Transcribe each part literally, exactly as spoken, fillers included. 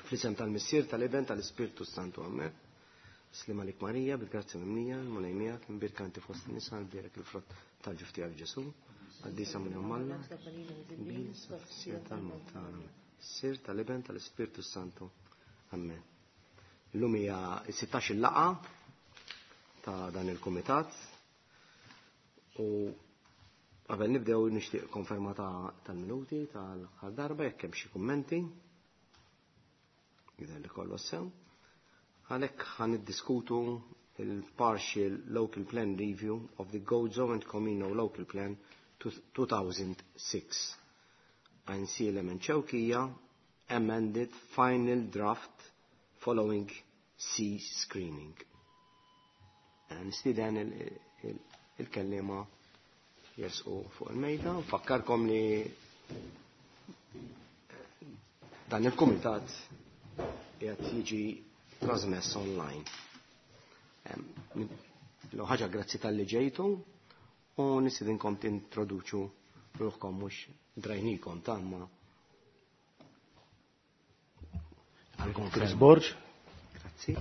Fl-isem tal-Missier, tal-Iben, tal-Ispirtu Santu. Amen. Sliem għalik Marija, bil-grazzja mimlija, il-Mulej miegħek, imbierka inti fost in-nisa, imbierek il-frott tal-ġuf tiegħek Ġesù. Qaddisa Marija Omm Alla, fis-siegħa tal-mewt tagħna. Missier, tal-Iben, tal-Ispirtu Santu. Amen. Illum hija s-sittax il-laqgħa ta' dan il-kumitat u qabel nibdew nixtieq konferma tal-minuti tal-aħħar darba jekk hemm xi kummenti. Jidher li kollu sew. Għalhekk ħa niddiskutu il-Partial Local Plan Review of the Gozo and Comino Local Plan two thousand six. Għajnsielem and Xewkija amended final draft following C screening. Nistieden il-kellima jersqu fuq il-mejda. Fakkarkom li dan il-kumitat qiegħed jiġi trasmess online. L ħaġa, grazzi talli ġejtu u nistidinkom tintroduċu ruħkom, mhux drajnikom tamma. Chris Borg. Grazzi.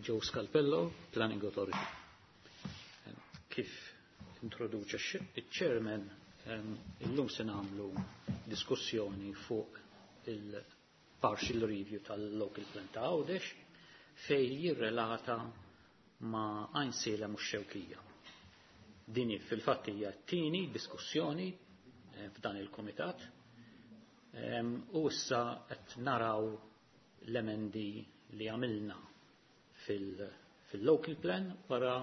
Joe Scalpello, Planning Authority. Kif introduċa il-chairman, illum se nagħmlu diskussjoni fuq il-partial review tal-local plan ta' Għawdex fej jirrelata ma' Għajnsielem u Xewkija. Dini fil-fatt hija t-tieni diskussjoni eh, f'dan il-komitat u issa qed naraw l-emendi li għamilna fil-local plan wara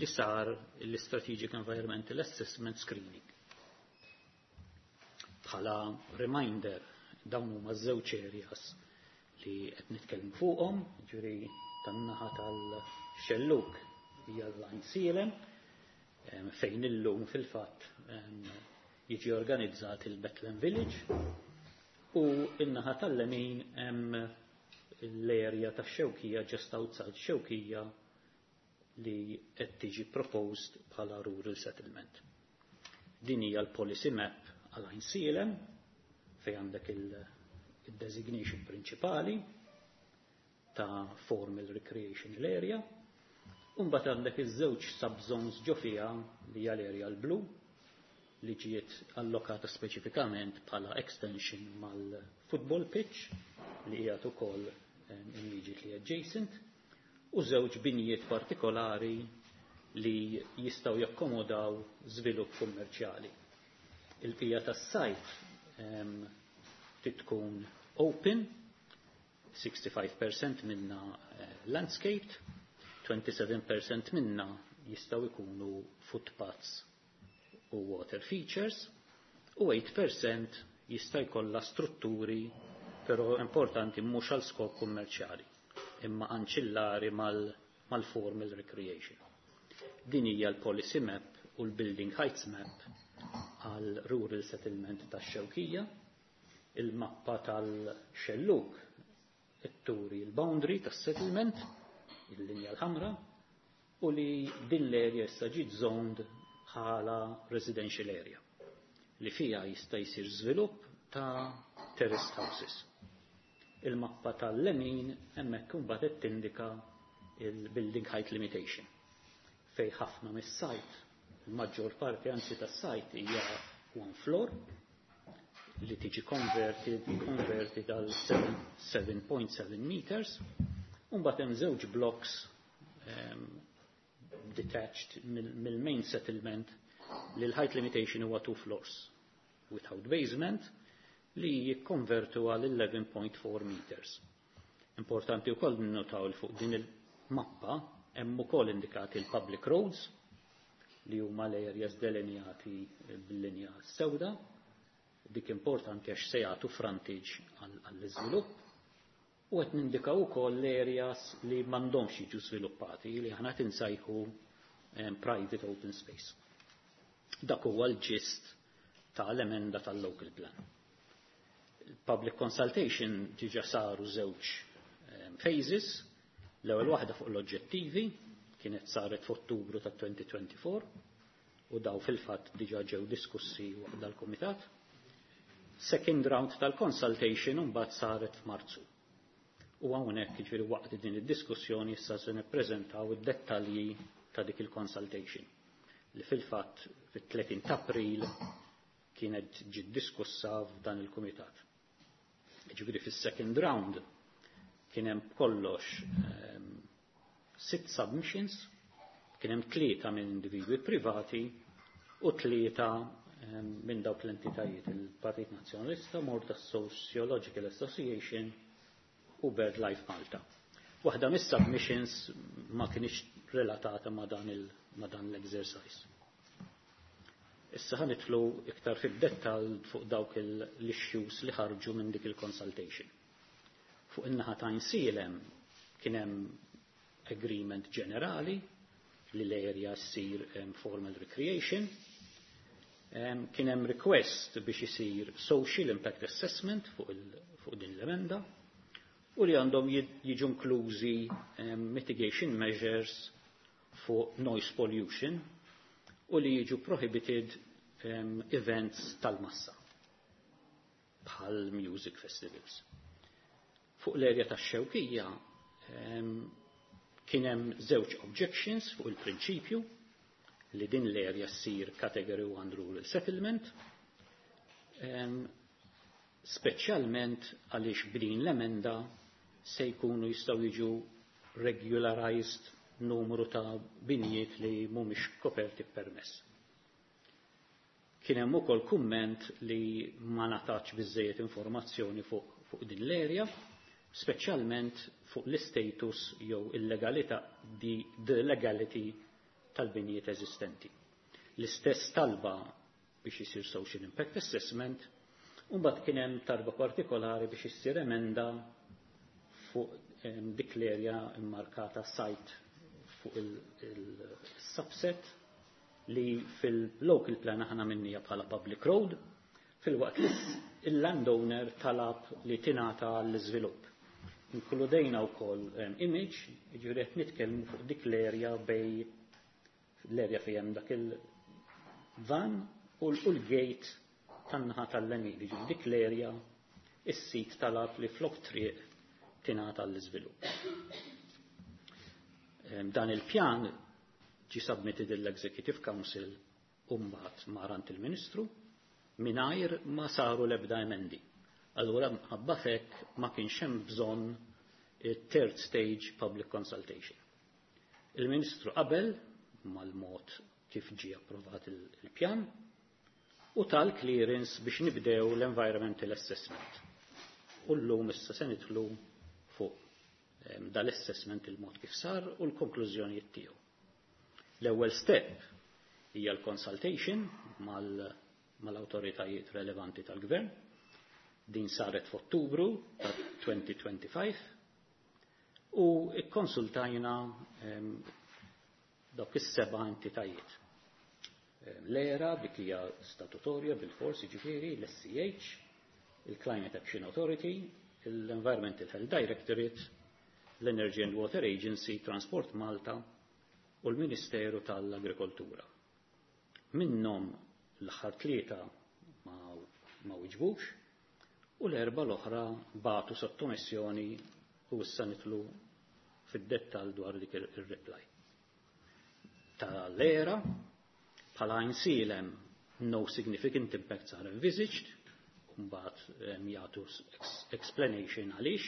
li sar l-Strategic Environmental Assessment Screening. Bħala reminder, dawn huma żewġ areas li qed nitkellmu fuqhom, ġifieri tan-naħa tal-xelluk hija l-Għajnsielem fejn illum fil-fatt jiġi organizzat il-Bethlehem Village u in-naħa tal-lemin hemm l-area tax-Xewkija, just outside Xewkija, li qed tiġi proposed bħala rural settlement. Din hija l-policy map għal Għajnsielem fej għandek il-designation prinċipali ta' formal recreational area. Umbat għandek iż-żewġ subzones ġo fiha, li hija l-area l-blu li ġiet allokata speċifikament bħala extension mal-football pitch li hija ukoll immediately adjacent, u żewġ binjiet partikolari li jistgħu jakkomodaw żvilupp kummerċjali. Il-bqija tas-site tkun open, sixty-five percent minna eh, landscaped, twenty-seven percent minna jistgħu ikunu footpaths u water features, u eight percent jista' jkollha strutturi, però importanti, mhux għal skop kummerċjali imma anċillari mal-formal recreation. Din hija l-policy map u l-building heights map għal rural settlement tax-Xewkija. Il-mappa tal-xelluk turi l-boundary tas-settlement, il-linja l-ħamra, u li din l-area issa ġiet zoned bħala residential area li fija jista' jsir żvilupp ta' terraced houses. Il-mappa tal-lemin hemmhekk imbagħad qed tindika il-building height limitation fej ħafna mis-site, il-maġġor parti anzi tas-site, hija one floor li tiġi converted, converted għal seven point seven meters. Mbagħad hemm żewġ blocks um, detached mill-main settlement li l-height limitation huwa two floors without basement li jikkonvertu għal eleven point four meters. Importanti wkoll ninnotaw li fuq din il-mappa hemm ukoll indikati l-public roads li huma l-areas delineati bil-linja sewda. Dik importanti għax se jagħtu frontage għall-iżvilupp, u qed nindikaw ukoll l-areas li m'għandhomx jiġu żviluppati, li aħna insejħu private open space. Dak huwa l-gist tal-emenda tal-local plan. Public consultation diġa saru żewġ phases, l-ewwel waħda fuq l-oġġettivi kienet saret f'Ottubru ta' elfejn u erbgħa u għoxrin u daw fil-fatt diġa ġew diskussi waqt dal-kumitat. Second round tal-consultation mbagħad saret f'Marzu. U hawnhekk, jiġifieri waqt din id-diskussjoni, issa se nippreżentaw id-dettalji ta' dik il-consultation li fil-fatt fit-tletin ta' April kienet ġiet diskussa f'dan il-kumitat. Jiġifieri fis-second round kien hemm kollox um, sitt submissions, kien hemm tlieta minn individwi privati u tlieta um, minn dawk l-entitajiet, il-Partit Nazzjonalista, Malta Sociological Association u BirdLife Malta. Waħda mis-submissions ma kienx relatata ma' dan il ma' dan l-exercise. Issa ħa nidħlu iktar fid-dettall fuq dawk l-issues li ħarġu minn dik il-consultation. Fuq in-naħa ta' Għajnsielem kien hemm agreement ġenerali li l-area ssir um, formal recreation. Um, kien hemm request biex isir social impact assessment fuq, il, fuq din l-emenda u li għandhom jiġu inklużi um, mitigation measures fuq noise pollution u li jiġu prohibited um, events tal-massa bħal music festivals. Fuq l-erja tax-Xewkija um, kien hemm żewġ objections fuq il-prinċipju li din l-erja ssir Category one Rural Settlement, um, speċjalment għaliex b'din l-emenda se jkunu jistgħu jiġu regularized numru ta' binjiet li mhumiex koperti permess. Kien hemm ukoll kumment li ma ngħatatx biżejjed informazzjoni fuq, fuq din l-erja, speċjalment fuq l-status jew il-legalità di the legality tal-binjiet eżistenti. L-istess talba biex isir social impact assessment, u mbagħad kien hemm talba partikolari biex issir emenda fuq dik l-erja immarkata site fuq il-subset li fil-local plan aħna minnija bħala public road, filwaqt li il-landowner talab li tingħata l-iżvilupp. Inkludejna wkoll image, jiġifieri qed nitkellmu fuq dik l-erja bej l-erja fejn hemm dak il-van u l-gate tan-naħa tal-lemin, jiġifieri dik l-erja is-sit talab li flok triq tingħata l-iżvilupp. Dan il-pjan ġi submitted l-Executive Council u mbagħad mar għand il-Ministru mingħajr ma saru l-ebda emendi. Allura ħabba fek ma kienx hemm bżonn third stage public consultation. Il-Ministru qabel mal-mod kif ġi approvat il-pjan u tal-clearance biex nibdew l-environmental assessment. U l-lum issa se nidħlu fuq dal-assessment, il-mod kif sar u l-konklużjonijiet tiegħu. L-ewwel step hija l-consultation mal-awtoritajiet relevanti tal-gvern. Din saret f'Ottubru ta' elfejn u ħamsa u għoxrin u ikkonsultajna dawk is-seba' entitajiet. L-E R A, dik hija statutorja bil-forsi, ġifieri, l-S C H, il-Climate Action Authority, l-Environmental Health Directorate, l-Energy and Water Agency, Transport Malta u l-Ministeru tal-Agrikoltura. Minnhom l-aħħar tlieta ma, ma wiġbux u l-erba l-oħra bagħtu sottomissjoni u issa nidħlu fid-dettal dwar dik il-reply. Tal-E R A, bħala Għajnsielem, no significant impacts are envisaged, mbagħad jagħtu explanation għaliex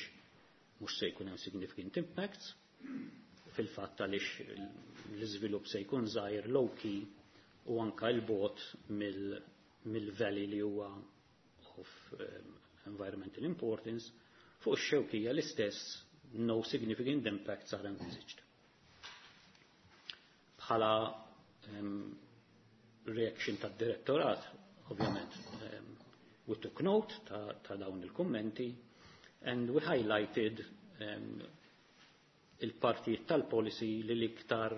mhux se jkun hemm significant impacts, fil-fatt għaliex l-iżvilupp se jkun żgħir, low key u anka l-bot mill-valley li huwa of um, environmental importance. Fuq ix-Xewkija l-istess, no significant impacts are envisaged. Bħala um, reaction tad-direttorat, ovvjament, um, we took note ta', ta dawn il-kummenti and we highlighted um, il-partijiet tal-policy li l-iktar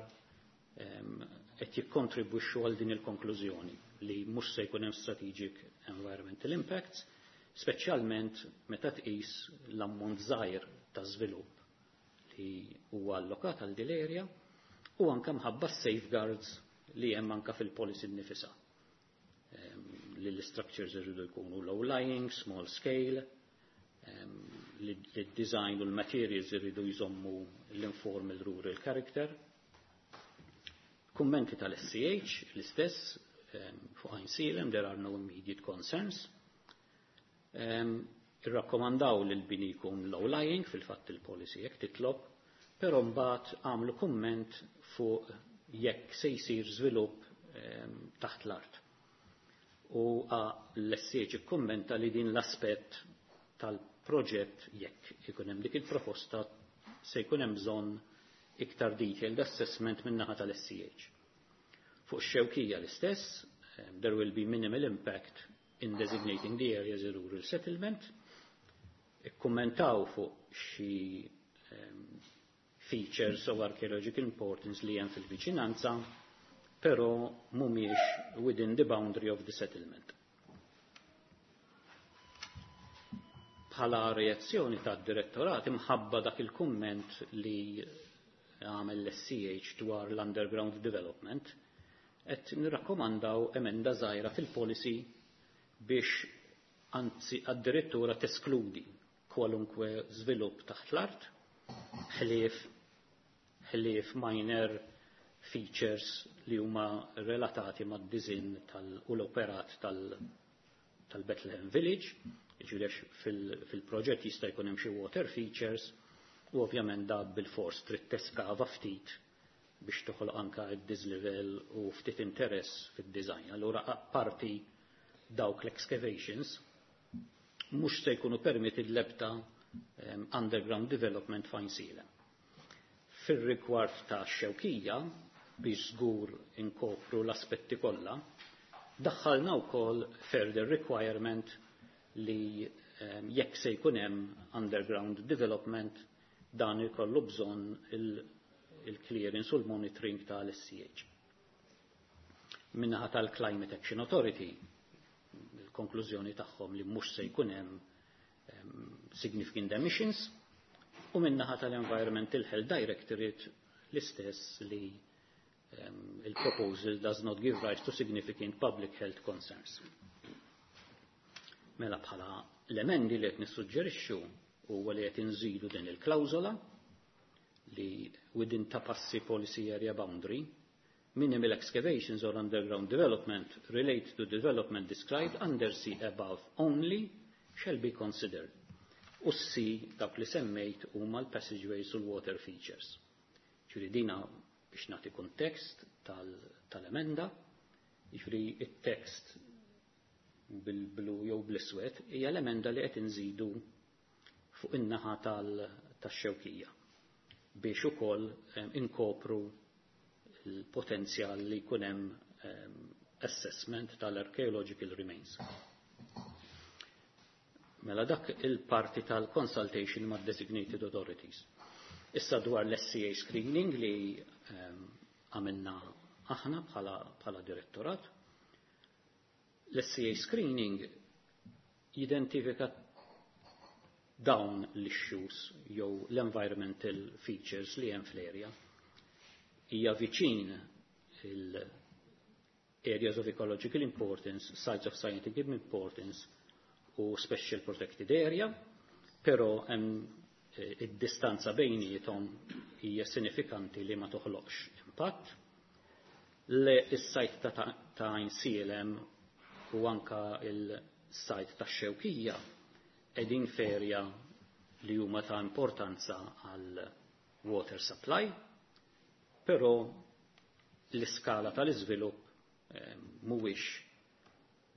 qed um, jikkontribwixxu għal din il-konklużjoni li mhux se jkun hemm strategic environmental impacts, speċjalment meta tqis l-ammont żgħir ta' żvilupp li huwa allokat għal din l-area u anke mħabba safeguards li hemm anke fil-policy nnifisha. Um, li l-structures irridu jkunu low lying, small scale, um, li li d-design u l-materials irridu jżommu l-informal rural character. Kummenti tal-S C H, l-istess, fuq Għajnsielem, there are no immediate concerns. Um, irrakkomandaw li l-bini jkun low lying, fil-fatt il-policy jekk titlob, però mbagħad għamlu kumment fuq jekk se jsir żvilupp um, taħt l-art. U l-S C H ikkummenta li din l-aspett tal-proġett, jekk ikun hemm dik il-proposta, se jkun hemm bżonn iktar detailed assessment min-naħa tal-S C H. Fuq Xewkija l-istess, there will be minimal impact in designating the area as a rural settlement. Ikkummentaw fuq xi um, features of archaeological importance li hemm fil-viċinanza, però mhumiex within the boundary of the settlement. Bħala reazzjoni tad direttorat imħabba dak il-kumment li għamel l-S C H dwar l-underground development, qed nirrakkomandaw emenda żgħira fil-policy biex anzi addirittura teskludi kwalunkwe żvilupp taħt l-art ħlief ħlief minor features li huma relatati mad-design tal u l-operat tal-Bethlehem Village, ġifieri fil-proġett jista' jkun hemm xi water features u ovvjament da bil-fors trid teskava ftit biex toħloq anka id-dislevel u ftit interess fid-design. Allura apparti dawk l-excavations mhux se jkunu permitted l-ebda um, underground development f'Għajnsielem. Fir-rigward ta' Xewkija, biex żgur inkopru l-aspetti kollha, daħħalna wkoll further requirement li um, jekk se jkun hemm underground development, dan ikollu bżonn il-clearance u l-monitoring tal-S C H. Min-naħa tal-Climate Action Authority, il-konklużjoni tagħhom li mhux se jkun hemm um, significant emissions, u min-naħa tal-Environmental Health Directorate l-istess, li um, il-proposal does not give rise to significant public health concerns. Mela bħala l-emendi li qed nissuġġerixxu huwa li qed inżidu din il-klawżola li within Ta' Passi policy area boundary, minimal excavations or underground development relate to development described under C above only shall be considered. U C, dak li semmejt, huma l-passageways u l-water features. Ġifieri dina biex nagħti kontekst tal-emenda, ġifieri it-tekst bil-blu jew bl-iswed hija l-emenda li qed inżidu fuq in-naħa tax-Xewkija biex ukoll inkopru il-potenzjal li jkun hemm assessment tal-archaeological remains. Mela dak il-parti tal-consultation ma' designated authorities. Issa dwar l-S C A screening li għamilna aħna bħala, bħala direttorat. L-S C A screening jidentifika dawn l-issues jew l-environmental features li hemm fl-area. Hija viċin il-areas of ecological importance, sites of scientific importance u special protected area, però hemm eh, id-distanza bejniethom hija sinifikanti li ma toħloqx impatt. Le is-site ta' ta' Għajnsielem u anka il-site ta' Xewkija qegħdin f'area li huma ta' importanza għal water supply, però l-iskala tal-iżvilupp eh, mhuwiex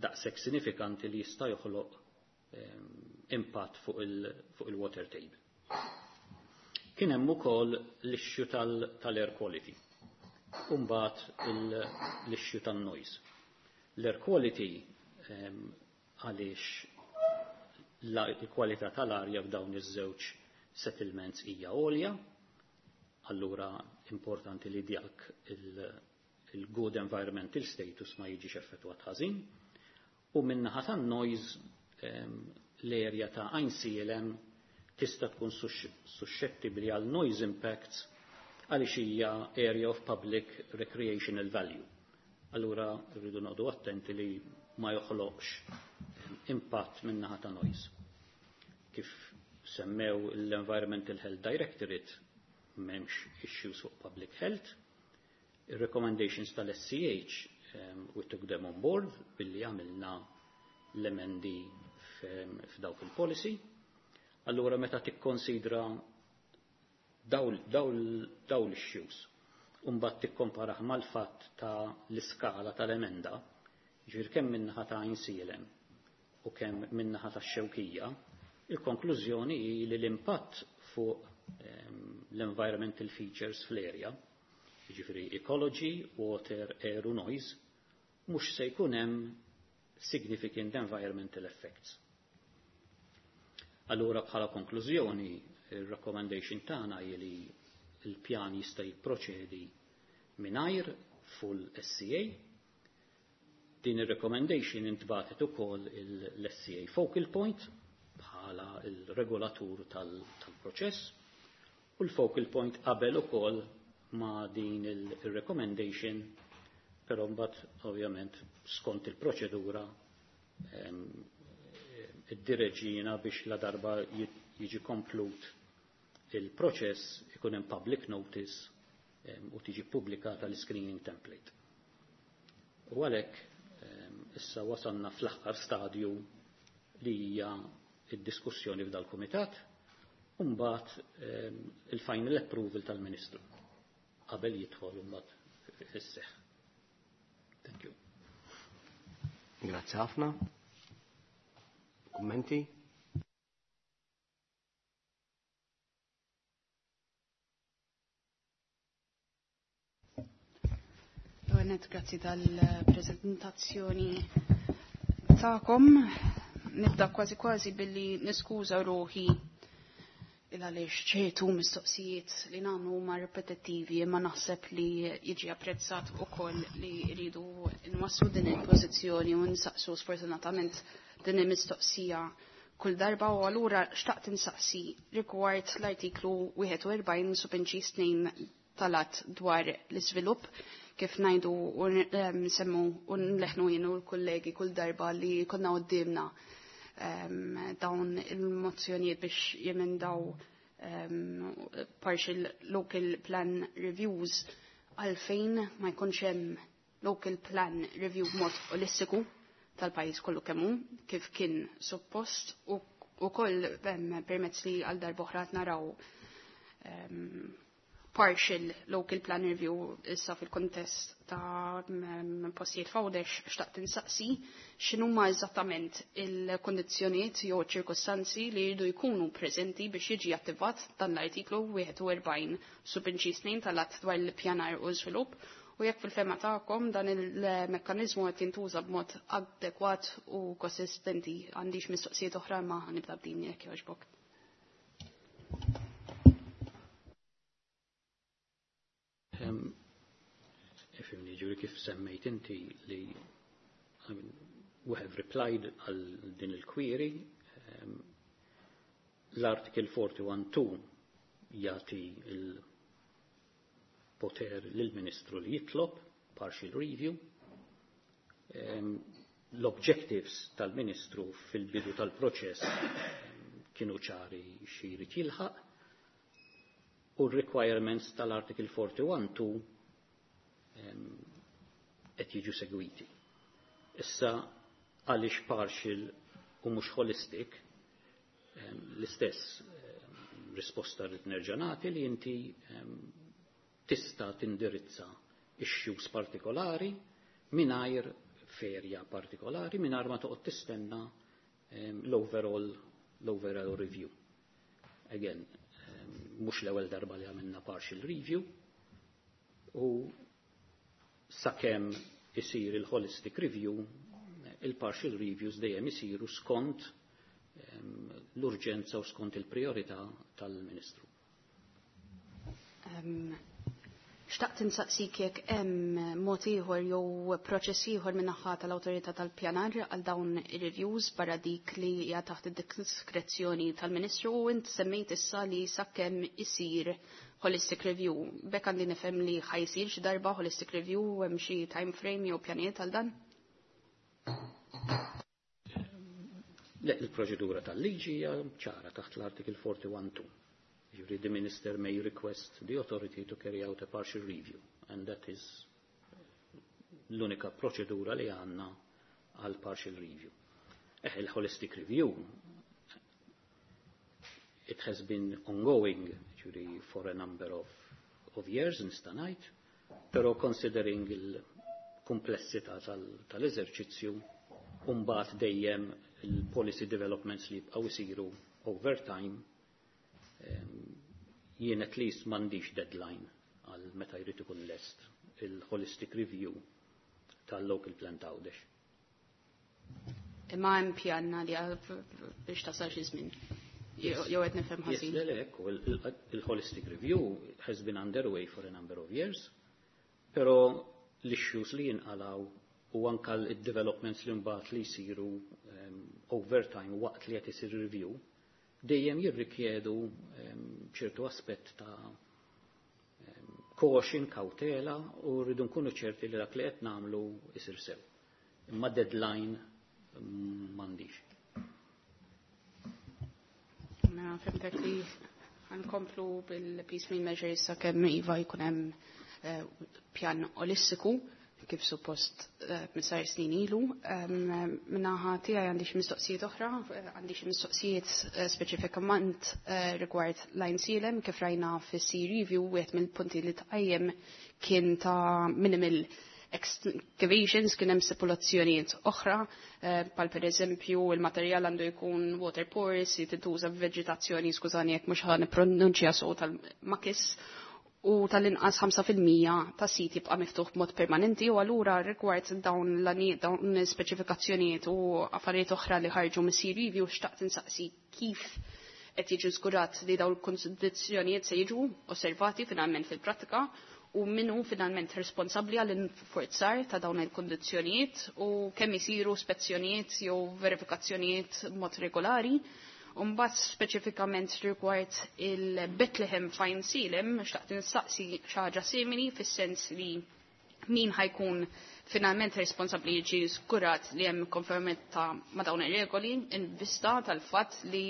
daqshekk sinifikanti li jista' joħloq eh, impatt fuq il-water table. Kien hemm ukoll l-issue tal-air quality u mbagħad l-issue tan-noise. L-air quality, għaliex il-kwalità tal-arja f'dawn iż-żewġ settlements hija għolja, allura importanti li dak il-good environmental status ma jiġix effettwat ħażin. U min-naħa tan-noise, l-area ta' Għajnsielem tista' tkun suscettibbli għal noise impacts għaliex hija area of public recreational value. Allura rridu noqogħdu attenti li ma joħloqx impatt min-naħa ta' noise. Kif semmew l-Environmental Health Directorate, m'hemmx issues fuq public health. Il-recommendations tal-S C H, um, we took them on board billi għamilna l-emendi f'dawk il-policy. Allura meta tikkonsidra daw l-issues, mbagħad tikkomparah mal-fatt ta' l-iskala tal-emenda, ġifieri kemm min-naħa ta' Għajnsielem u kemm min-naħa ta' Xewkija, il-konklużjoni hi li l-impatt fuq l-environmental features fl-area, ġifieri ecology, water, air u noise, mhux se jkun hemm significant environmental effects. Allura bħala konklużjoni, il-recommendation tagħna hi li l-pjan jista' jipproċedi mingħajr full S C A. Din ir-recommendation intbagħtet ukoll l-S C A focal point bħala il-regolatur tal-proċess u l-focal point qabel ukoll ma' din il-recommendation, però mbagħad ovvjament skont il-proċedura iddireġina biex la darba jiġi komplut il-proċess ikun hemm public notice u tiġi pubblikata l-screening template. U għalhekk issa wasalna fl-aħħar stadju li hija id-diskussjoni f'dal-kumitat u mbagħad il-final approval tal-Ministru qabel jidħol mbagħad fis-seħħ. Thank you. Grazzi ħafna. Kummenti? Għanet, grazzi tal-prezentazzjoni tagħkom. Nibda kważi kważi billi niskuża ruħi il għaliex ċertu mistoqsijiet li nagħmlu huma ripetittivi, imma naħseb li jiġi apprezzat ukoll li rridu nwasslu din il-pożizzjoni u nsaqsu sfortunatament din il-mistoqsija kull darba. U allura xtaqt insaqsi rigward l-artiklu wieħed u erbgħin subinċis tnejn tal-att dwar l-iżvilupp. Kif ngħidu u nsemmu u nleħnu jien u l-kollegi kull darba li konna qoddimna dawn il-mozzjonijiet biex jemendaw partial local plan reviews, għalfejn ma jkunx hemm local plan review b'mod olistiku tal-pajjiż kollu kemm hu kif kien suppost, u ukoll permezz li għal darb'oħra naraw partial local plan review issa fil-kontest ta' postijiet f'Għawdex? Xtaqt insaqsi x'inhuma eżattament il-kondizzjonijiet jew ċirkostanzi li jridu jkunu preżenti biex jiġi attivat dan l-artiklu wieħed u erbgħin subinċis tnejn tal-att dwar l-pjanar u żvilupp, u jekk fil-fehma tagħkom dan il-mekkaniżmu qed jintuża b'mod adekwat u konsistenti. Għandix mistoqsijiet oħra, ma nibda b'din jekk jogħġbok. Ifhimni, ġifieri kif semmejt inti li, I mean, we have replied għal din il-query. L-article forty-one point two jagħti il-poter lill-Ministru li jitlob partial review. L-objectives tal-Ministru fil-bidu tal-proċess kienu ċari xi jrid jilħaq u r-requirements tal-article forty-one point two qed jiġu segwiti. Issa għaliex partial u mhux holistic, l-istess risposta rrid nerġa' nagħti li inti tista' tindirizza issues partikolari mingħajr f'area partikolari mingħajr ma toqgħod tistenna l-overall l-overall review. Again, mhux l-ewwel darba li għamilna partial review u sakemm isir il-holistic review, il-partial reviews dejjem isiru skont l-urġenza u skont il-priorità tal-Ministru. Xtaqt insaqsik jekk hemm mod ieħor jew proċess ieħor min-naħa tal-Awtorità tal-Pjanar għal dawn ir-reviews barra dik li hija taħt id-diskrezzjoni tal-Ministru, u int semmejt issa li sakemm isir holistic review. B'hekk għandi nifhem li ħa jsir xi darba holistic review? Hemm xi time frame jew pjanijiet għal dan? Le, il-proċedura tal-liġi hija ċara taħt l-Article forty-one two. Ġifieri the minister may request the authority to carry out a partial review, and that is l-unika proċedura li għandna għal partial review. Eh, il-holistic review, it has been ongoing, ġifieri for a number of, of years, nista' ngħid, però considering il-komplessità tal-eżerċizzju, tal mbagħad dejjem il-policy developments li jibqgħu jsiru over time, jien at least m'għandix deadline għal meta jrid ikun lest il-holistic review tal-local plan ta' Għawdex. Imma hemm pjan li biex tasal xi żmien. Jew qed nifhem ħażin. Yes, le, le, ekku, il-holistic review has been underway for a number of years, però l-issues li jinqalaw u anka l-developments li mbagħad li jsiru um, over time waqt li qed isir review dejjem jirrikjedu ċertu um, aspett ta' um, caution, kautela, u rridu nkunu ċerti li dak li qed nagħmlu isir sew. Imma deadline m'għandix. Mela fimtek li ħankomplu bil-piecemeal measures sakemm iva jkun hemm uh, pjan olistiku kif suppost misar snin ilu. Minnaħa tiegħi għandi xi mistoqsijiet oħra, għandi xi mistoqsijiet speċifikament rigward l-Għajnsielem kif rajna fis-C review wieħed mill-punti li tqajjem kien ta' minimal excavations, kien hemm stipulazzjonijiet oħra, bħal pereżempju il-materjal għandu jkun water porous, tintuża veġitazzjoni, skużani jekk mhux ħa nippronunċja sew tal-makis, u tal-inqas ħamsa fil-mija ta' sit jibqa' miftuħ b'mod permanenti, u allura rigward dawn l-għanijiet, dawn speċifikazzjonijiet u affarijiet oħra li ħarġu mis-C review, xtaqt insaqsi kif qed jiġu żgurat li dawn il-kondizzjonijiet se jiġu osservati finalment fil-prattika, u min hu finalment responsabbli għall infurzar ta' dawn il-kondizzjonijiet, u kemm isiru spezzjonijiet jew verifikazzjonijiet b'mod regolari. Mbagħad speċifikament rigward il-Bethlehem f'Għajnsielem, xtaqt insaqsi xi ħaġa simili fis-sens li min ħajkun finalment responsabbli jiġi żgurat li hemm konformità ma' dawn ir-regoli in vista tal-fatt li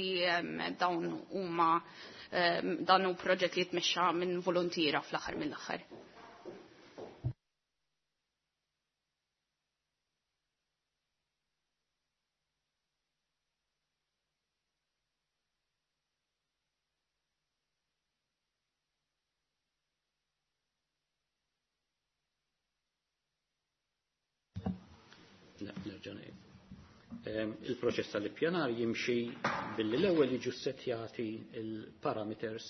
dawn huma dan hu proġett li jitmexxa minn volontiera fl-aħħar mill-aħħar. Il-proċess tal-ippjanar jimxi billi l-ewwel jiġu settjati il-parameters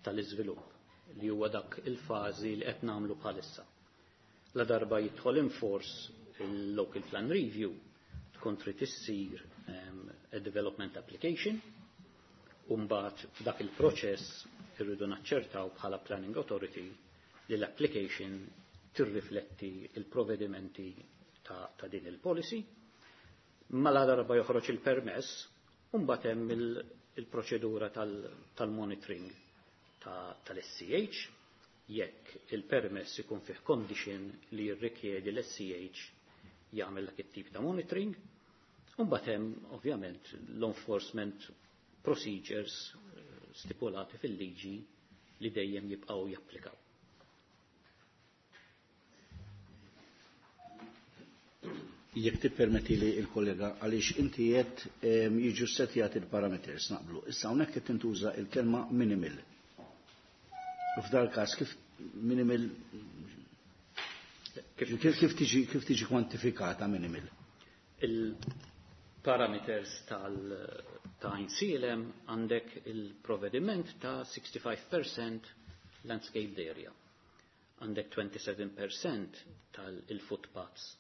tal-iżvilupp li huwa dak il-fażi li qed nagħmlu bħalissa. La darba jidħol in force il-local plan review tkun trid issir a development application, u mbagħad f'dak il-proċess irridu naċċertaw bħala planning authority li l-application tirrifletti il-provvedimenti ta', ta din il-policy. Mela darba joħroġ il-permess, u mbagħad hemm il-proċedura tal-monitoring tal-S C H, jekk il-permess ikun fih condition li jirrikjedi l-S C H jagħmel dak it-tip ta' monitoring, u mbagħad hemm ovvjament l-enforcement procedures stipulati fil-liġi li dejjem jibqgħu japplikaw. Jekk tippermetti li il-kollega, għaliex inti qed jiġu settjati il-parameters naqblu. Issa hawnhekk qed tintuża il-kelma minimal. U f'dal każ kif minimal kif, kif tiġi kif tiġi kwantifikata minimal? Il-parameters tal ta' Għajnsielem għandek il-provvediment ta' sixty-five percent landscaped area. Għandek twenty-seven percent tal-footpaths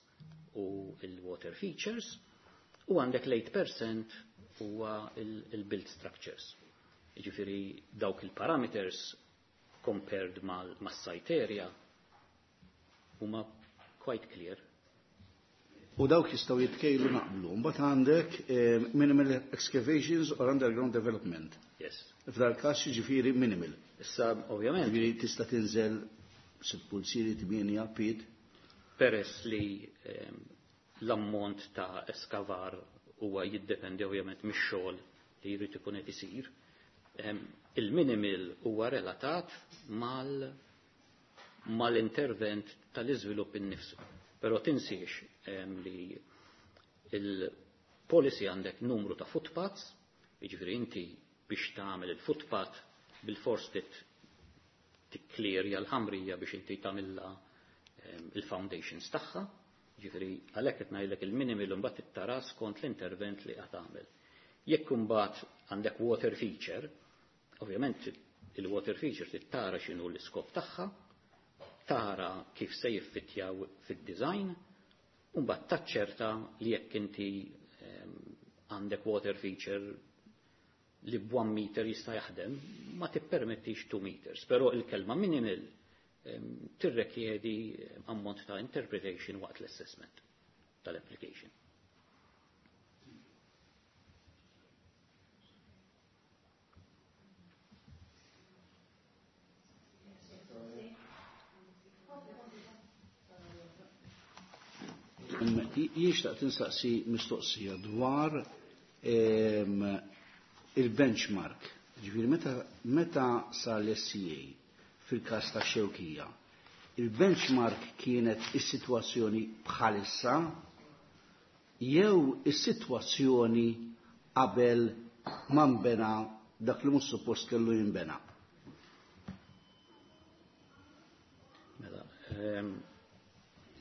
u il-water features, u għandek l-eight percent huwa il-build structures. Jiġifieri dawk il-parameters compared mal-site area huma quite clear. U dawk jistgħu jitkejlu naqblu. Mbagħad għandek minimal excavations or underground development. Yes. F'dal każ jiġifieri minimal. Issa ovvjament. Jiġifieri tista' tinżel sitt pulsieri tmienja pied. Peress li l-ammont ta' eskavar huwa jiddependi ovvjament mix-xogħol li jrid ikun qed isir. Il-minimal huwa relatat mal mal-intervent tal-iżvilupp innifsu. Però tinsiex li il-policy għandek numru ta' footpaths, jiġifieri inti biex tagħmel il-footpath bil-fors tikklirja l-ħamrija biex inti tagħmilha il-foundations tagħha, jiġifieri għalhekk qed ngħidlek il-minimal imbagħad tara skont l-intervent li qed tagħmel. Jekk imbagħad għandek water feature, ovvjament il-water feature trid tara x'inhu l-iskop tagħha, tara kif se jiffittjaw fid-design, u mbagħad taċċerta li jekk inti għandek water feature li b'one meter jista' jaħdem, ma tippermettix two meters, però il-kelma minimal tirrekjedi ammont ta' interpretation waqt l-assessment tal-application. Jien xtaqt insaqsi mistoqsija dwar il-benchmark. Ġifieri meta, meta sar l-S C A fil-każ ta' Xewkija, il-benchmark kienet is-sitwazzjoni bħalissa jew is-sitwazzjoni qabel ma nbena dak li mhux suppost kellu jinbena? Mela,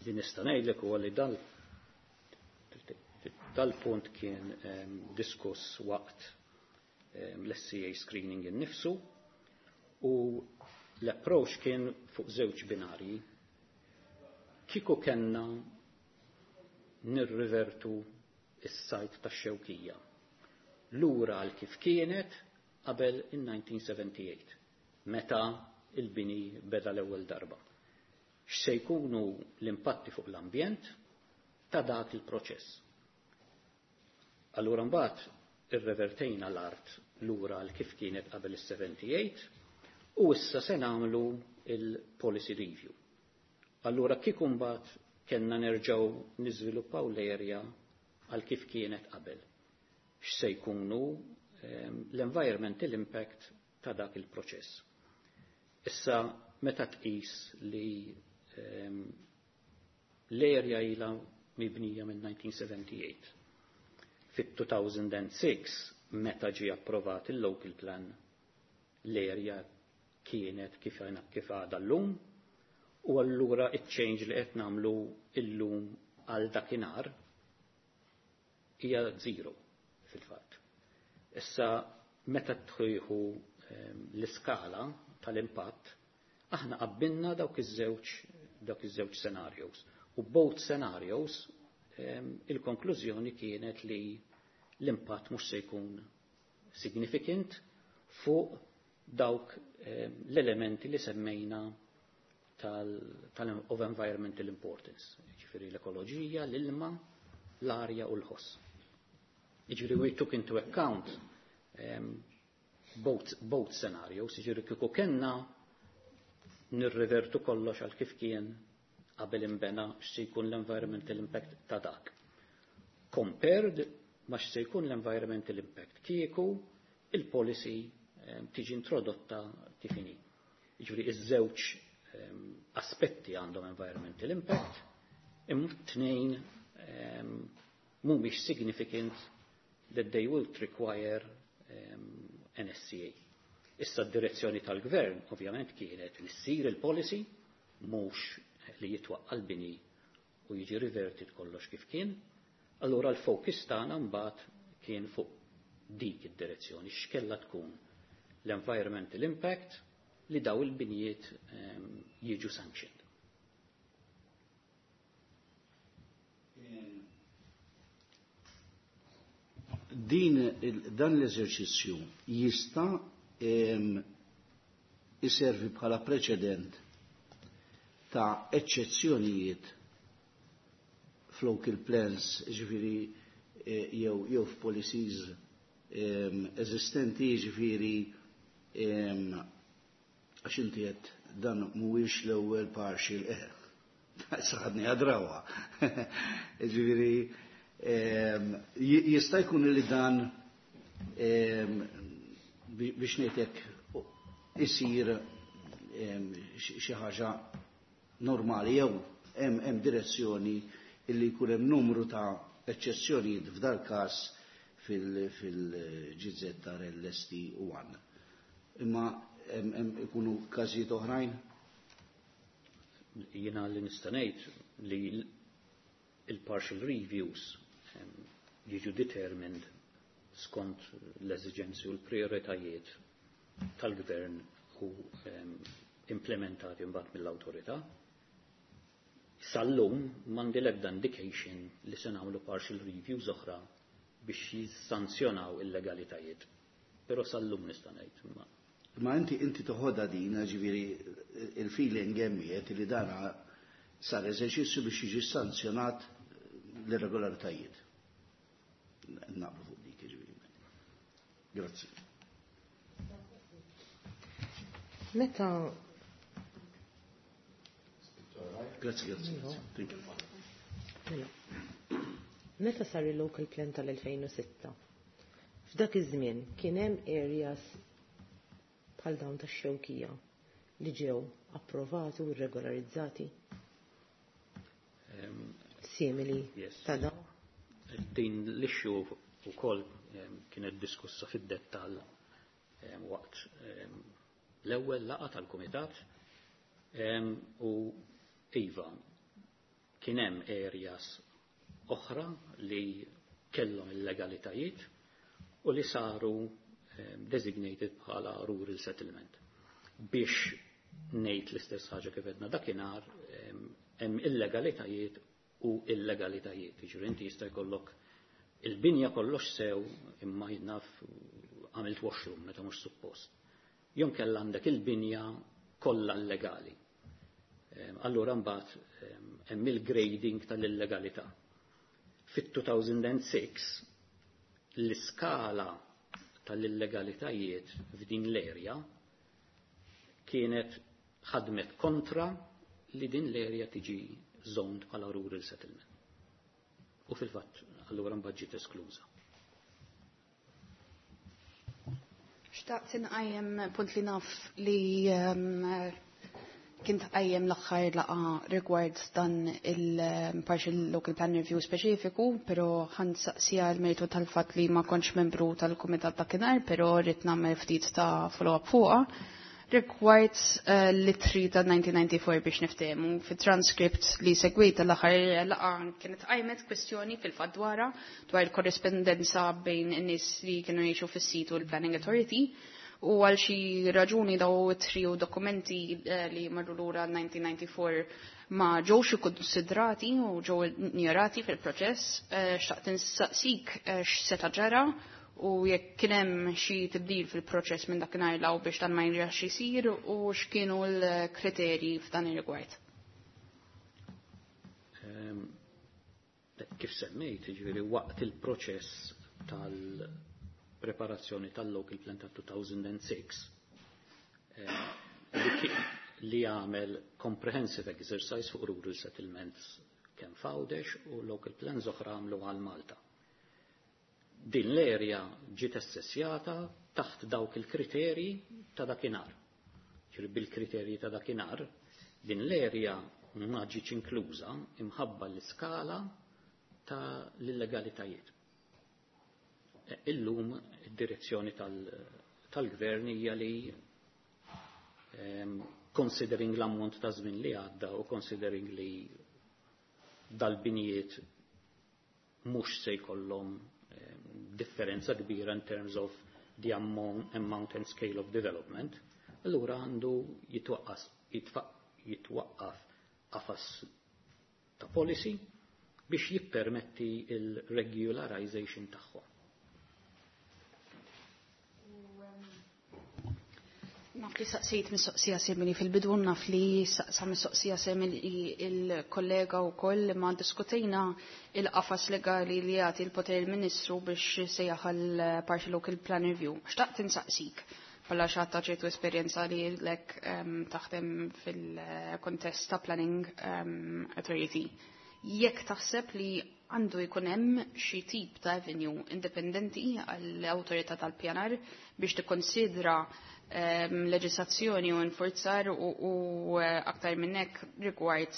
li nista' ngħidlek huwa li dan dal-punt kien diskuss waqt l-S C A screening innifsu u l-approach kien fuq żewġ binarji. Kieku kellna nirrivertu is-sajt tax-Xewkija lura għal kif kienet qabel in-nineteen seventy-eight, meta il-bini beda l-ewwel darba. X'se jkunu l-impatti fuq l-ambjent ta' dak il-proċess. Allura mbagħad irrevertejna l-art lura għal kif kienet qabel is-seventy-eight u issa se nagħmlu il-policy review. Allura kieku mbagħad kellna nerġgħu niżviluppaw l-area għal kif kienet qabel. X'se jkunu, ehm, l-environmental impact ta' dak il-proċess. Issa meta tqis li, ehm, l-area ilha mibnija minn nineteen seventy-eight. Fit-two thousand and six, meta ġie approvat il-local plan, l-area kienet kif kif għadha llum, u allura iċ-change li qed nagħmlu llum għal dakinhar hija zero fil-fatt. Issa meta tħejħu, ehm, l-iskala tal-impatt, aħna qabbilna dawk iż-żewġ, dawk iż-żewġ scenarios. U both scenarios, ehm, il-konklużjoni kienet li l-impatt mhux se jkun significant fuq dawk, ehm, l-elementi li semmejna tal, tal of environmental importance, jiġifieri l-ekoloġija, l-ilma, l-arja u l-ħoss. Jiġifieri we took into account, ehm, both, both scenarios, jiġifieri kieku kellna nirrevertu kollox għal kif kien qabel imbena x'se jkun l-environmental impact ta' dak. Compared ma x'se jkun l-environmental impact kieku il-policy, ehm, tiġi introdotta kif inhi. Jiġifieri iż-żewġ, ehm, aspetti għandhom environmental impact, imma tnejn, ehm, mhumiex significant that they will require, ehm, N S C A. Issa d-direzzjoni tal-gvern ovvjament kienet li ssir il-policy mhux li jitwaqqa l-bini u jiġi reverted kollox kif kien. Allura l-focus tagħna mbagħad kien fuq dik id-direzzjoni, x'kella tkun l-environmental impact li daw il-binijiet, ehm, jiġu sanctioned. Din il-, dan l-eżerċizzju jista', ehm, iservi bħala preċedent ta' eċċezzjonijiet f'local plans, ġifieri, eh, jew, jew f'policies, ehm, eżistenti, ġifieri, ehm, għax inti qed dan mhuwiex l-ewwel partial, eh, saħadni għadrawa. Ġifieri, Jista' jkun li dan biex ngħidlek isir xi ħaġa normali jew hemm direzzjoni illi jkun hemm numru ta' eċċezzjonijiet f'dal każ fil-G Z R L S T one. Imma ikunu każijiet oħrajn? Jiena li nista' ngħid li il-partial reviews jiġu determined skont l-eżigenzi u l-prioritajiet tal-gvern u implementati mbagħad mill-awtorità. Sal-lum m'għandi l-ebda indication li se nagħmlu partial reviews oħra biex jissanzjonaw illegalitajiet. Però sal-lum nista' ngħid. Ma Ma inti inti toħodha din, ġifieri il-feeling hemmiet li dana sar eżerċizzju biex jiġi sanzjonat l-irregolaritajiet. Naqblu fuq dik, ġifieri. Grazzi. Meta Grazzi, grazzi. Thank you. Mela. Meta sar il-local plan tal-elfejn u sitta, f'dak iż-żmien kien hemm areas bħal dawn tax-Xewkija li ġew approvati u regolarizzati simili Yes. ta' dawn? Din l-issue ukoll kienet diskussa fid-dettall waqt l-ewwel laqgħa tal-kumitat u iva, kien hemm areas oħra li kellhom illegalitajiet u li saru designated bħala rural settlement. Biex ngħid l-istess ħaġa kif għedna dakinhar, hemm illegalitajiet u illegalitajiet. Jiġifieri inti jista' jkollok il-binja kollox sew imma jinnaf għamilt washroom meta mhux suppost. Jew inkella għandek il-binja kollha illegali. Allura mbagħad hemm il-grading tal-illegalità. Fit-elfejn u sitta l-iskala tal-illegalitajiet f'din l-erja kienet ħadmet kontra li din l-erja tiġi zoned bħala rural settlement. U fil-fatt, allura mbagħad ġiet eskluża. Xtaqt inqajjem punt li naf li um, kien tqajjem l-aħħar laqgħa rigward dan il-partial local plan review speċifiku, però ħa nsaqsiha l-mertu tal-fatt li ma kontx membru tal-kumitat dakinhar, però rrid nagħmel ftit ta' follow-up fuqha. Rigward uh, l-ittri ta' elf disa' mija u disgħa u disgħin biex niftehmu, fit-transcript li segwita l-aħħar laqgħa kienet qajmet kwestjoni fil-fatt dwarha dwar il-korrespondenza bejn in-nies li kienu jgħixu fis-sit u l-Planning Authority u għal xi raġuni daw ittri u dokumenti eh, li marru lura elf disa' mija u disgħa u disgħin ma ġewx ikkonsidrati u ġew injorati fil-proċess. Eh, xtaqt insaqsik eh, x'seta' ġara u jekk kien hemm xi tibdil fil-proċess minn dakinhar 'l hawn biex dan ma jirġax isir u x'kienu l-kriterji f'dan ir-rigward. Ehm, Kif semmejt, ġifieri waqt il-proċess tal-preparazzjoni tal-local plan ta' elfejn u sitta eh, li ki- li għamel comprehensive exercise fuq rural settlements kemm f'Għawdex u local plans oħra għamlu għal Malta. Din l-area ġiet assessjata taħt dawk il-kriterji ta' dakinhar. Ġifieri bil-kriterji ta' dakinhar, din l-area ma ġietx inkluża imħabba l-iskala ta' l-illegalitajiet. E, Illum id-direzzjoni tal-gvern hija li em, considering l-ammont ta' żmien li għadda u considering li dal-binijiet mhux se jkollhom em, differenza kbira in terms of the amount, amount and scale of development, allura għandu jitwaqqas jitwaqqaf qafas ta' policy biex jippermetti il-regularization tagħhom. Naf li saqsejt mistoqsija simili fil-bidu, naf li saqsa mistoqsija simili il-kollega u koll, ma diskutejna il-qafas legali li jagħti l-poter il-Ministru biex sejjaħ għal partial local plan review. Xtaqt insaqsik bħala xi ħadd ta' ċertu esperjenza li lek um, taħdem fil-kontest ta' planning um, authority. Jekk taħseb li Għandu jkun hemm xi tip ta' avenue indipendenti għall-awtorità tal-pjanar biex tikkonsidra um, leġislazzjoni u nfurzar u, u aktar minn hekk rigward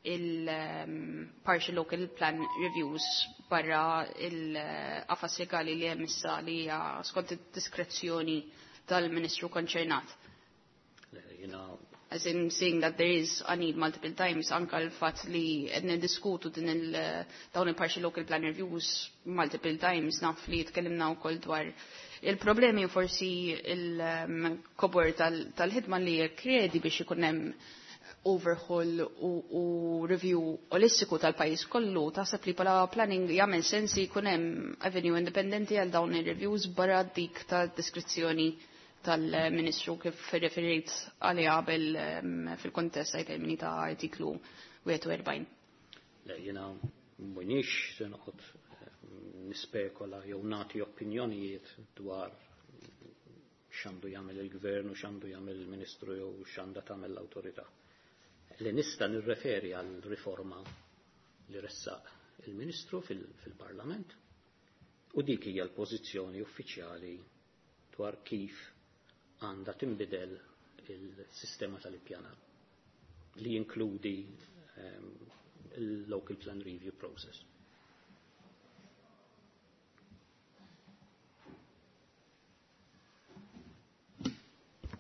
il-partial um, local plan reviews barra il-qafas legali li hemm issa li hija skont id-diskrezzjoni tal-Ministru konċernat. Jiena As in seeing that there is a need multiple times, anka l-fatt li qed niddiskutu din il dawn il-partial local plan reviews multiple times, naf li tkellimna wkoll dwar il-problemi u forsi il-kobor tal-ħidma li kredi biex ikun hemm overhaul u, u review olistiku tal-pajjiż kollu, taħseb li bħala planning jagħmel sens li jkun hemm avenue indipendenti għal dawn ir-reviews barra dik tad-diskrezzjoni tal-Ministru kif referejt għaliha qabel fil-kontest għaj termini ta' artiklu wieħed u erbgħin. Le, jiena m'iniex se noqgħod nispekola jew nagħti opinjonijiet dwar x'għandu jagħmel il-gvern u x'għandu jagħmel il-Ministru jew x'għandha tagħmel l-awtorità. Li nista' nirreferi għal riforma li ressaq il-Ministru fil-Parlament u dik hija l-pożizzjoni uffiċjali dwar kif għandha tinbidel il-sistema tal-ippjanar li jinkludi um, il-local plan review process.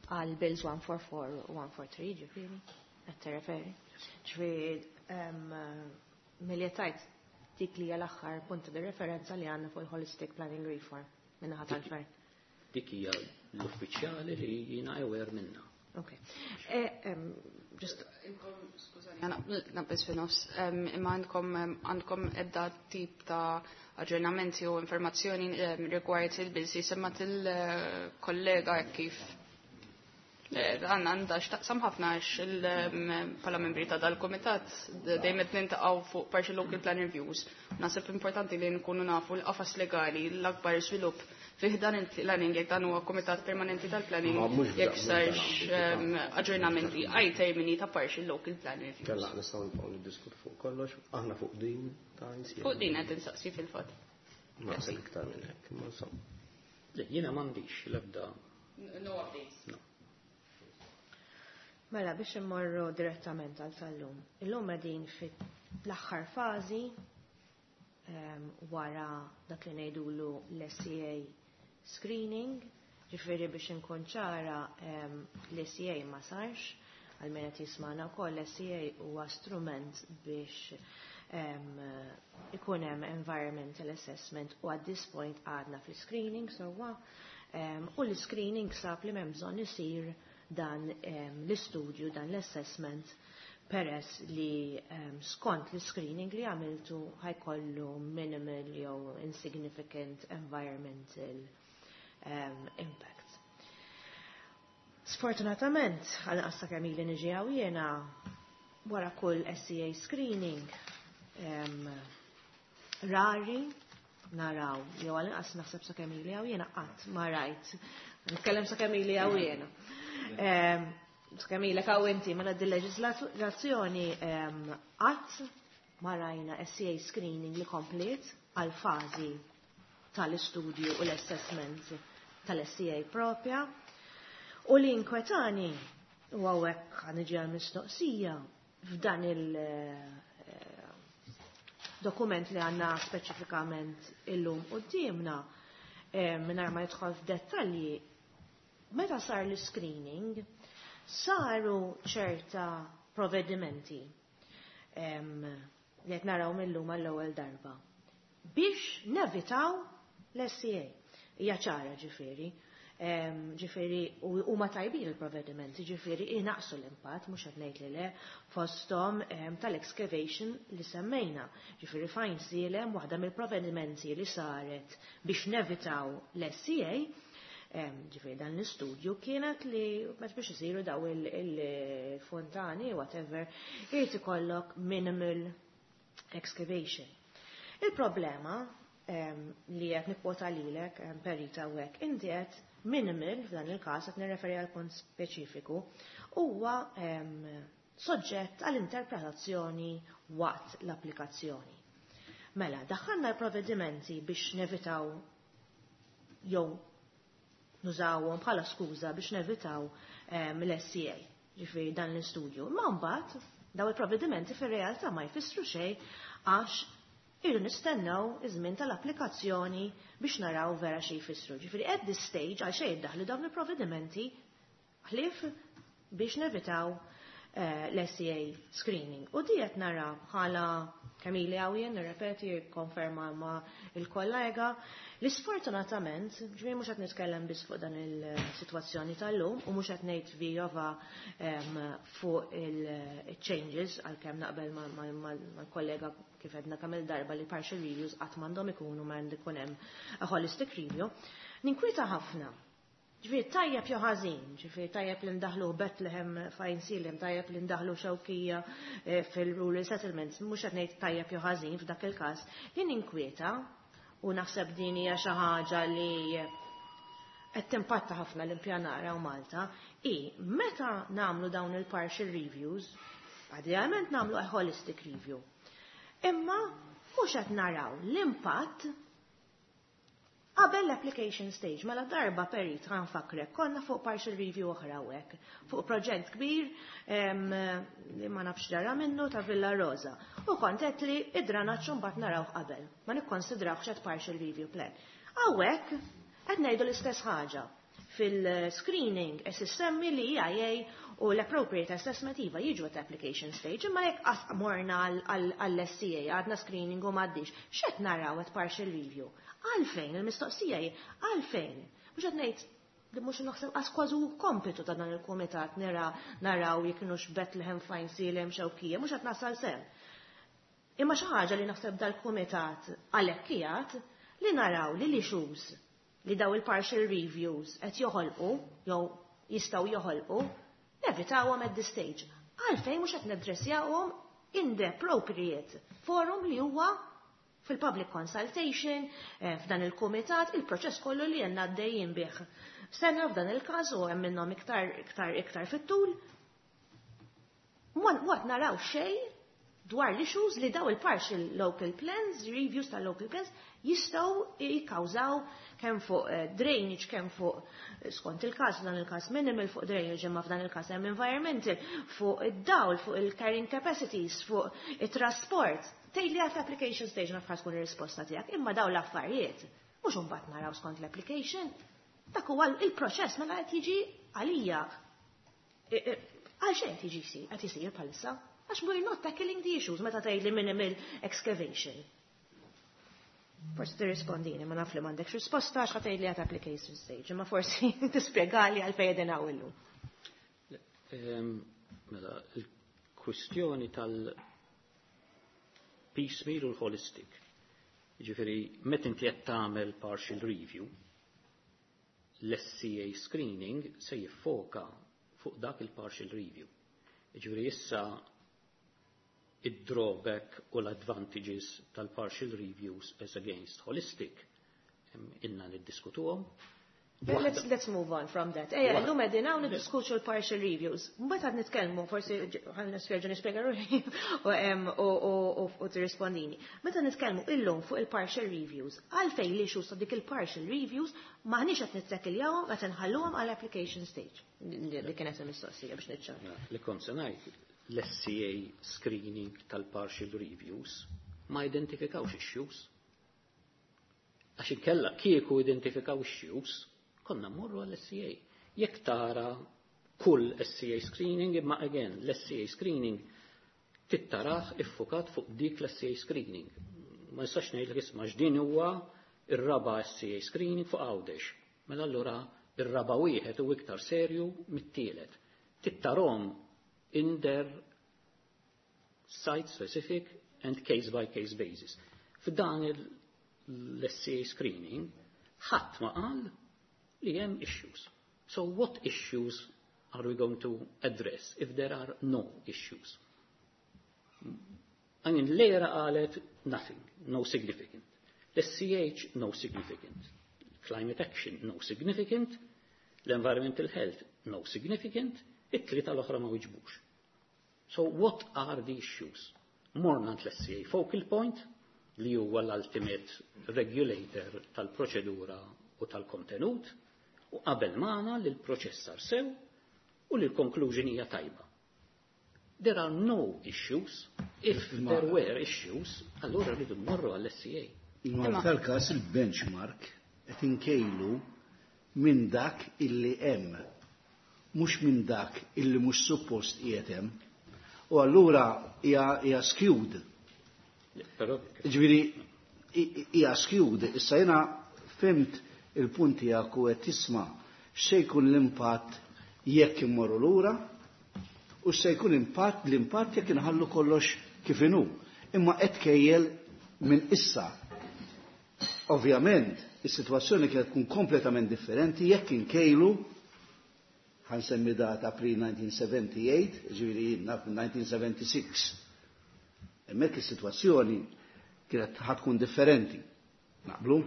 Għal bills one four four u one four three, ġifieri, qed tirreferi. Ġifieri, milli tajt dik li hija l-aħħar punt di referenza li għandna fuq il-Holistic Planning Reform minnaħa tal-gvern. Dik hija l-uffiċjali li jiena aware minna. Ok. Eh, um, just Skużani, naqbes fi nofs, imma għandkom għandkom ebda tip ta' aġġornamenti u informazzjoni rigward il-bills li semmat il-kollega kif għandna għandha x'taqsam ħafna għax bħala membri ta' dal-kumitat dejjem qed nintaqgħu fuq partial local plan reviews. Naħseb importanti li nkunu nafu l-qafas legali l-akbar żvilupp fih dan il-planning, jekk dan huwa kumitat permanenti tal-planning, jekk sarx aġġornamenti għaj termini ta' partial local plan reviews. Kella nistgħu nibqgħu niddiskutu fuq kollox, aħna fuq din ta' insiem. Fuq din qed insaqsi fil-fatt. Naħseb iktar minn hekk, imma insomma. Le, jiena m'għandix l-ebda. No updates. No. Mela, biex immorru direttament għal tal-lum. Illum qegħdin fl-aħħar fażi um, wara dak li ngħidulu l-S E A screening, ġifieri biex inkun ċara um, l-S E A ma sarx, għal min qed jismagħna wkoll l-S E A huwa strument biex um, ikun hemm environmental assessment u at this point għadna fl-screening sewwa, um, u l-screening sab li m'hemm bżonn isir dan um, l-istudju, dan l-assessment, peress li um, skont l-screening li għamiltu ħajkollu minimal jew insignificant environmental um, impact. Sfortunatament, għal qassa kemm ili niġi hawn jiena, wara kull S E A screening, um, rari naraw, jew għal inqas naħseb sa kemm ili hawn jiena qatt ma rajt. Nitkellem sa kemm ili hawn jiena. Um, sa kemm ilek hawn inti, mela din leġislazzjoni qatt ma rajna S E A screening li komplet għal fażi tal-istudju u l-assessment tal-S E A propja. U li inkwetani, u hawnhekk ħaniġi għal-mistoqsija, f'dan il-dokument li għandna speċifikament illum quddiemna, mingħajr ma jidħol f'dettalji, meta sar l-screening, saru ċerta provvedimenti li qed naraw millum għall-ewwel darba biex nevitaw l-S E A. Hija ċara ġifieri. Ġifieri huma tajbin il-provvedimenti, ġifieri inaqsu l-impatt, mhux qed ngħid li le, fosthom tal-excavation li semmejna. Ġifieri fajn sielem waħda mill-provvedimenti li saret biex nevitaw l-S E A, ġifieri dan l-istudju kienet li meta biex isiru daw il-fontani, whatever, irid ikollok minimal excavation. Il-problema li qed nikkwota lilek, perita u hekk, inti qed minimal, f'dan il-każ qed nirreferi għal punt speċifiku, huwa soġġett għall-interpretazzjoni waqt l-applikazzjoni. Mela, daħħalna l-provvedimenti biex nevitaw jew nużawhom bħala skuża biex nevitaw ehm, l-S E A, ġifieri dan l-istudju. Ma mbagħad daw il-provvedimenti fir-realtà ma jfissru xejn għax irridu nistennew iż-żmien tal-applikazzjoni biex naraw vera xi jfissru. Ġifieri at this stage għal xejn iddaħlu dawn il-provvedimenti ħlief biex nevitaw eh, l-S E A screening. U di qed nara bħala kemm ili hawn, nirrepeti, konferma ma il-kollega, li sfortunatament, ġifieri mhux qed nitkellem biss fuq dan il-sitwazzjoni tal-lum u mhux qed ngħid vijova fuq il-changes, għalkemm naqbel mal-kollega kif għedna kemm il-darba li partial reviews qatt m'għandhom ikunu, ma għandu ikun hemm a holistic review. Ninkwita ħafna. Ġifieri tajjeb jew ħażin, ġifieri tajjeb li ndaħlu Bethlehem f'Għajnsielem, tajjeb li ndaħlu Xewkija eh, fil-rural settlements, mhux qed ngħid tajjeb jew ħażin f'dak il-każ. Li ninkwieta u naħseb din hija xi ħaġa li qed timpatta ħafna l-impjanar hawn Malta, i meta nagħmlu dawn il-partial reviews, idealment nagħmlu a holistic review. Imma mhux qed naraw l-impatt qabel l-application stage. Mela darba, perit, ħa nfakkrek, konna fuq partial review oħra hekk, fuq proġett kbir em, li ma nafx ġara minnu ta' Villa Rosa. U kont qed li id-dranaġġ mbagħad naraw qabel, ma nikkonsidrawx qed partial review plan. Hawnhekk qed ngħidu l-istess ħaġa. Fil-screening qed issemmi li E I A u l-appropriate assessment iva jiġu at application stage, imma jekk qas morna għall-S E A, għadna screening u m'għaddix, x'qed naraw at partial review? Għalfejn, il-mistoqsija hi, għalfejn? Mhux qed ngħid li mhux naħseb qas kważi kompitu ta' dan il-kumitat nira naraw jekk kienux Bethlehem, F'Għajnsielem, Xewkija, mhux qed nasal s'hemm. Imma xi ħaġa li naħseb dal-kumitat għalhekk qiegħed li naraw li l-issues li daw il-partial reviews qed joħolqu jew jistgħu joħolqu nevitawhom at this stage. Għalfejn mhux qed naddressjawhom in the appropriate forum li huwa fil-public consultation, eh, f'dan il-kumitat, il-proċess kollu li għandna għaddejjin bih. Sena f'dan il-każ u hemm minnhom iktar iktar iktar fit-tul. Mwat naraw xejn dwar l-issues li daw il-partial local plans, reviews tal-local plans, jistgħu jikkawżaw kemm fuq eh, drainage, kemm fuq eh, skont il-każ, f'dan il-każ minimal fuq drainage, imma f'dan il-każ hemm environmental, fuq id-dawl, fuq il-carrying capacities, fuq it-trasport. Tgħid li għat application stage naf tkun ir-risposta tiegħek, imma daw l-affarijiet mhux imbagħad naraw skont l-application. Dak huwa il-proċess mela qed jiġi għalija. Għal xejn qed jiġi jsir, qed isir bħalissa. Għax we're not tackling the issues meta tgħid li minimal excavation. Forsi tirrispondini, ma naf li m'għandekx risposta għax ħa tgħid li għat application stage, imma forsi tispjegali għalfejn qegħdin hawn illum. Ehm, Mela, il-kwistjoni tal-piecemeal u l-holistic. Ġifieri, meta inti qed tagħmel partial review, l-S E A screening se jiffoka fuq dak il-partial review. Ġifieri issa id-drawback u l-advantages tal-partial reviews as against holistic ilna niddiskutuhom. Let's, let's move on from that. Ejja, illum qegħdin hawn niddiskutu l-partial reviews. Mbagħad qed nitkellmu, forsi ħa nispjega nispjega ruħi u em, u- u- u- u tirrispondini. Meta nitkellmu illum fuq il-partial reviews, għalfejn li issues ta' dik il-partial reviews maħniex qed nittakkiljawhom, qed inħalluhom għall application stage? Li li kienet il-mistoqsija biex niċċar. Li kont se ngħid, l-S E A screening tal-partial reviews ma identifikawx issues. Għax inkella kieku identifikaw issues, konna mmorru għall-S E A. Jekk tara kull S E A screening, imma again, l-S E A screening tittarah iffukat fuq dik l-S E A screening. Ma nistax ngħidlek isma' x'din huwa ir-raba S E A screening fuq Għawdex. Mela allura ir-raba wieħed u iktar serju mit-tielet. Tittarahom in their site specific and case by case basis. F'dan l-S E A screening ħadd ma qal li hemm issues. So what issues are we going to address if there are no issues? I mean, l-ERA qalet nothing, no significant. L-S C H, no significant. Climate action, no significant. L-environmental health, no significant. It-tlieta l-oħra ma wiġbux. So what are the issues? Morna l-S C A focal point, li huwa l-ultimate regulator tal-proċedura u tal-kontenut, u qabel magħna li l-proċess sar sew u li l-conclusion hija tajba. There are no issues. If there were issues, allura rridu mmorru għall-S C A. Imma tal-każ il-benchmark qed inkejlu minn dak illi hemm, mhux minn dak illi mhux suppost qiegħed hemm. U allura hija skewed. Ġifieri hija skewed. Issa jiena fhimt il-punt tiegħek u qed tisma' x'se jkun l-impatt jekk immorru lura u se jkun impatt l-impatt jekk inħallu kollox kif inhu. Imma qed kejjel minn issa. Ovvjament, is-sitwazzjoni kienet tkun kompletament differenti jekk inkejlu, ħa nsemmi data pre-nineteen seventy-eight, ġifieri nineteen seventy-six. Hemmhekk is-sitwazzjoni kienet ħa tkun differenti. Naqblu?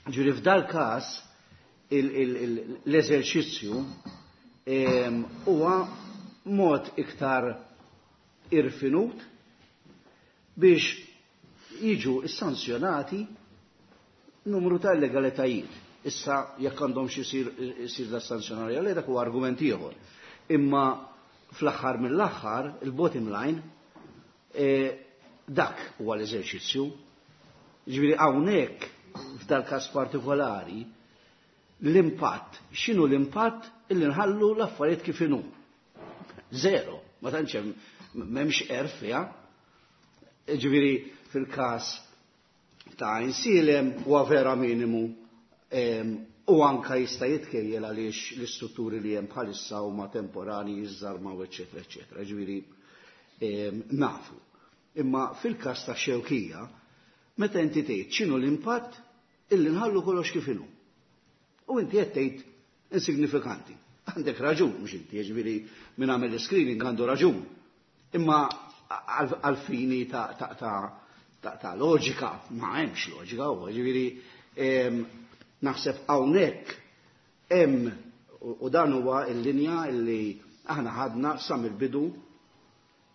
Ġifieri f'dal każ l-eżerċizzju huwa mod iktar irfinut biex jiġu sanzjonati numru ta' illegalitajiet. Issa jekk għandhom xi jsir da sanzjonarja li dak huwa argument ieħor. Imma fl-aħħar mill-aħħar, il-bottom line, e, dak huwa l-eżerċizzju. Ġifieri hawnhekk f'dal każ partikolari l-impatt, x'inhu l-impatt illi nħallu l-affarijiet kif inhu? Zero, ma tantx hemm, m'hemmx erf fiha. Ġifieri fil-każ ta' Għajnsielem huwa vera minimu u anka jista' jitkejjel għaliex l-istrutturi li hemm bħalissa huma temporani, jiżżarmaw, eċetera, eċetera. Ġifieri nafu. Imma fil-każ ta' Xewkija, meta inti tgħid x'inhu l-impatt illi nħallu kollox kif inhu? U inti qed tgħid insignifikanti. Għandek raġun, mhux inti, ġifieri min għamel screening għandu raġun. Imma għal-fini ta' ta' ta' ta' ta' loġika, ma hemmx loġika, u ġifieri naħseb hawnhekk hemm u dan huwa l-linja illi aħna ħadna sa mill-bidu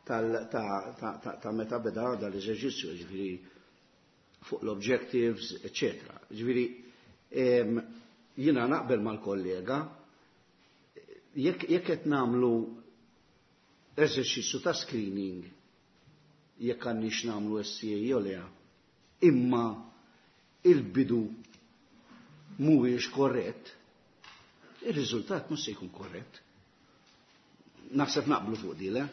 ta' meta beda dal-eżerċizzju, ġifieri fuq l-objectives, eccetera. Ġifieri jiena naqbel mal-kollega jekk qed nagħmlu eżerċizzju ta' screening jekk għandniex nagħmlu S C A jew le, imma il-bidu mhuwiex korrett, ir-riżultat mhux se jkun korrett. Naħseb naqblu fuq di, le?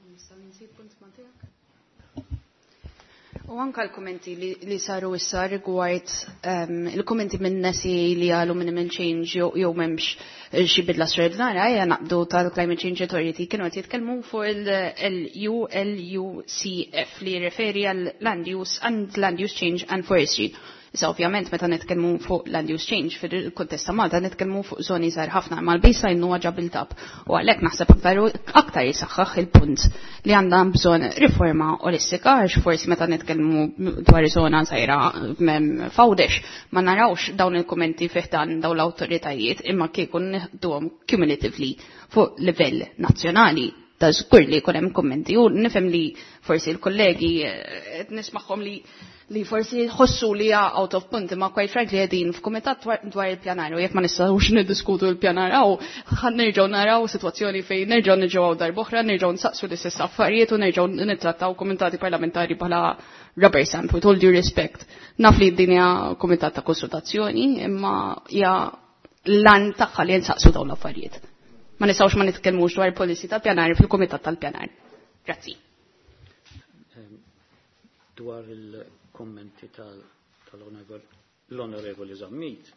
Nista' punt ma' tiegħek? U anka l-kommenti li, li saru issa rigward um, il-kommenti minn nesi li għalu minimal change jew jew m'hemmx xi bidla straordinarja, ejja naqdu tal-Climate Change Authority kienu qed jitkellmu fuq il-U L U C F li jirreferi għal Land Use and Land Use Change and Forestry. Issa ovvjament meta nitkellmu fuq land use change fil-kuntest ta' Malta nitkellmu fuq żoni żgħar ħafna, imma l-baseline huwa ġa built up u għalhekk naħseb aktar aktar jisaħħaħ il-punt li għandha bżonn riforma olistika, għax forsi meta nitkellmu dwar żona żgħira f'Għawdex ma narawx dawn il-kummenti fih dan dawn l-awtoritajiet, imma kieku nieħduhom cumulatively fuq livell nazzjonali ta' żgur li jkun hemm kummenti. U nifhem li forsi l-kollegi eh, qed nismagħhom li li forsi ħossu li hija out of punt, imma quite frankly qegħdin f'kumitat dwar il-pjanar u jekk ma nistgħux niddiskutu l-pjanar hawn, ħan nerġgħu naraw sitwazzjoni fejn nerġgħu niġu hawn darb'oħra, nerġgħu nsaqsu l-istess affarijiet u nerġgħu nittrattaw kumitati parlamentari bħala rubber stamp, with all due respect. Naf li din hija kumitat ta' konsultazzjoni, imma hija l-għan tagħha li nsaqsu dawn l-affarijiet. Ma nistgħux ma nitkellmux dwar policy tal-pjanar fil-kumitat tal-pjanar. Grazzi. Dwar il-kommenti tal-Onorevoli Zammit,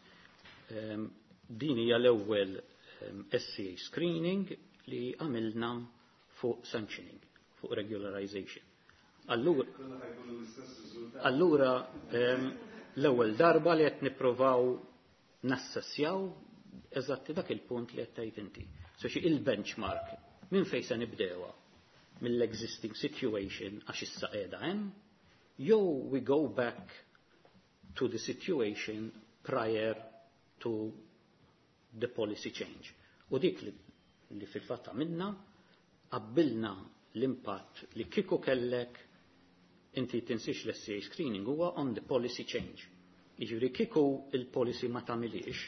din hija l-ewwel S C A screening li għamilna fuq sanctioning, fuq regularization. Allura, allura l-ewwel darba li qed nippruvaw nassessjaw eżatti dak il-punt li qed tgħid inti. So xi il-benchmark minn fejn se nibdewha, mill-existing situation għax issa qiegħda hemm, jew we go back to the situation prior to the policy change? U dik li, li fil-fatt għamilna, qabbilna l-impatt li kieku kellek Inti tinsix l-S E A screening huwa on the policy change. Jiġifieri kieku il-policy ma tagħmilix,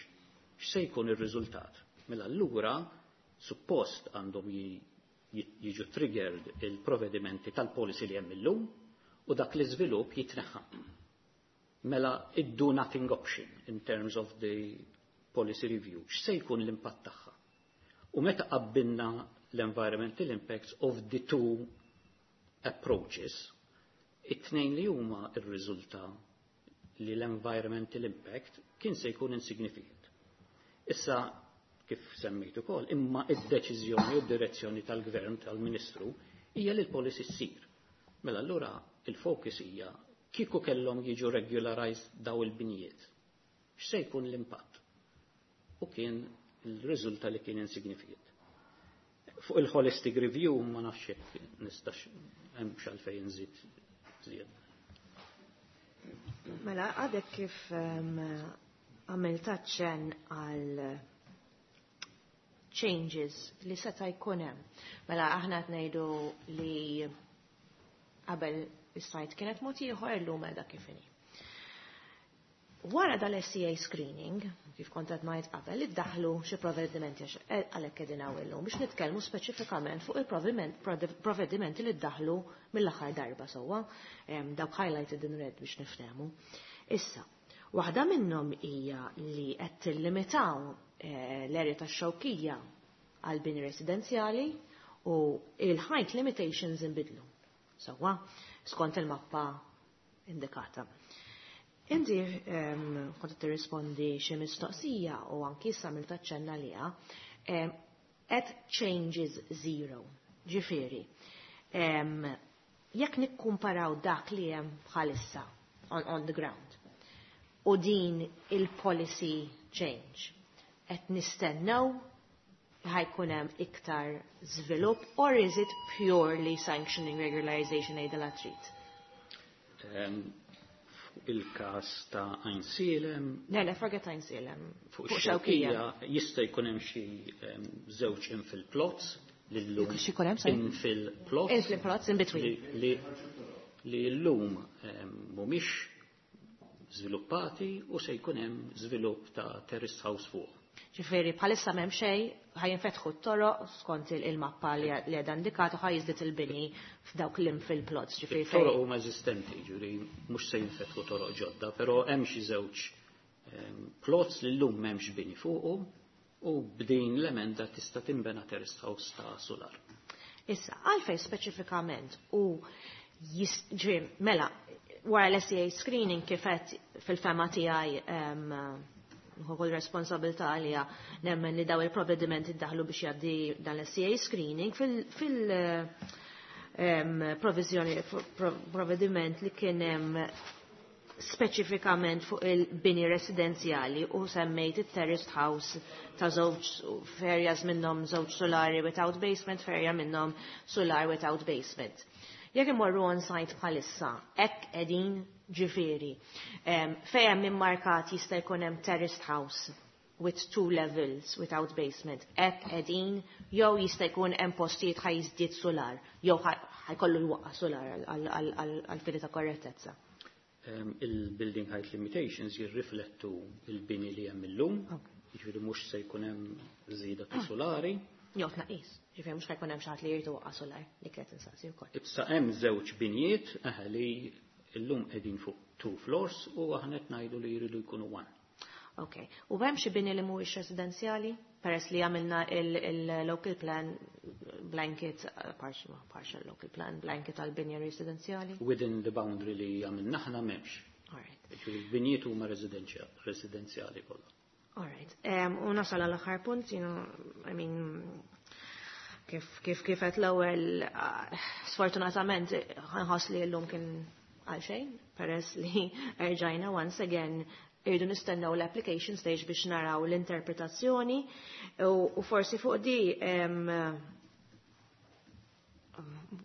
x'se jkun ir-riżultat? Mela allura suppost għandhom jiġu triggered il-provvedimenti tal-policy li hemm illum u dak l-iżvilupp jitneħħa. Mela id-do nothing option in terms of the policy review, x'se jkun l-impatt tagħha? U meta qabbilna l-environmental impacts of the two approaches, it-tnejn li huma ir-riżulta li l-environmental impact kien se jkun insignificant. Issa, kif semmejt ukoll, imma id-deċiżjoni u d-direzzjoni tal-gvern tal-Ministru hija li l-policy ssir. Mela allura il-focus hija kieku kellhom jiġu regularized daw il-binjiet. X'se jkun l-impatt? U kien il-riżulta li kien insignificant. Fuq il-holistic review ma nafx jekk nistax hemm x'għalfejn nżid żied. Mela, għadek kif għamilt aċċenn għal changes li seta' jkun hemm. Mela aħna qed ngħidu li qabel is-site kienet mod ieħor, illum qiegħda kif inhi. Wara dal-S E A screening, kif kont qed ngħid qabel, iddaħlu xi provvedimenti, għax eh, għalhekk qegħdin hawn illum biex nitkellmu speċifikament fuq il-provvedimenti li ddaħlu mill-aħħar darba sewwa, dawk highlighted in red biex niftehmu. Issa, waħda minnhom hija li qed tillimitaw eh, l-area tax-Xewkija għal bini residenzjali u il-height limitations inbidlu. Sewwa, skont il-mappa indikata. Inti um, kont tirrispondi xi mistoqsija u anki issa għamilt aċċenn għaliha, um, at changes zero. Ġifieri, um, jekk nikkumparaw dak li hemm bħalissa on, on the ground u din il-policy change, qed nistennew ħa jkun hemm iktar żvilupp or is it purely sanctioning regularization għidilha trid? Um, il-kas ta' Għajnsielem. Le, le, forget Għajnsielem. Fuq Xewkija jista' jkun hemm xi żewġ infill plots li llum. Xi jkun hemm, sorry? Infill plots. Infill plots in between. Li, li llum mhumiex żviluppati u se jkun hemm żvilupp ta' terrace house fuq. Ġifieri, bħalissa m'hemm xejn, ħa jinfetħu t-toroq skont il-mappa li għadha indikata, ħa jiżdied il-bini f'dawk l-infill plots. Ġifieri Toroq huma eżistenti, ġifieri mhux se jinfetħu toroq ġodda, però hemm xi żewġ plots li llum m'hemmx bini fuqhom u b'din l-emenda tista' tinbena terrace house ta' solar. Issa, għalfej speċifikament u ġifieri, mela, wara l-S E A screening kifet fil-fehma tiegħi, kull responsabilità għalija, nemmen li daw il-provvedimenti daħlu biex jgħaddi dan l-S E A screening fil- fil- provizjoni provvediment li kien hemm speċifikament fuq il-bini residenzjali u semmejt il-terraced house ta' żewġ f'areas minnhom żewġ solari without basement, f'area minnhom solar without basement. Jekk imorru on site bħalissa, hekk qegħdin, ġifieri, fejn hemm immarkat jista' jkun hemm terraced house with two levels without basement, hekk qegħdin jew jista' jkun hemm postijiet ħa jiżdied solar, jew ħa jkollu jwaqqa solar għal fini ta' korrettezza? Il-building height limitations jirriflettu il-bini li hemm illum, jiġifieri mhux se jkun hemm żieda ta' solari. Jew tnaqqis, ġifieri mhux ħa jkun hemm xi ħadd li jrid iwaqqa' solar li kienet insaqsi wkoll. Issa hemm żewġ binjiet eħe li llum qegħdin fuq two floors u aħna qed ngħidu li jridu jkunu one. Ok. U hemm xi bini li mhuwiex residenzjali? Peress li għamilna il-local plan blanket, partial, partial local plan blanket għal binja residenzjali? Within the boundary li għamilna aħna m'hemmx. All right. Il-binjiet huma residenzjali kollha. All right. Um, u nasal għal aħħar punt, you know, I mean, kif kif kif qed l-ewwel, uh, sfortunatament nħoss li llum kien għal xejn, peress li erġajna once again irridu nistennew l-application stage biex naraw l-interpretazzjoni u, u forsi fuq di um,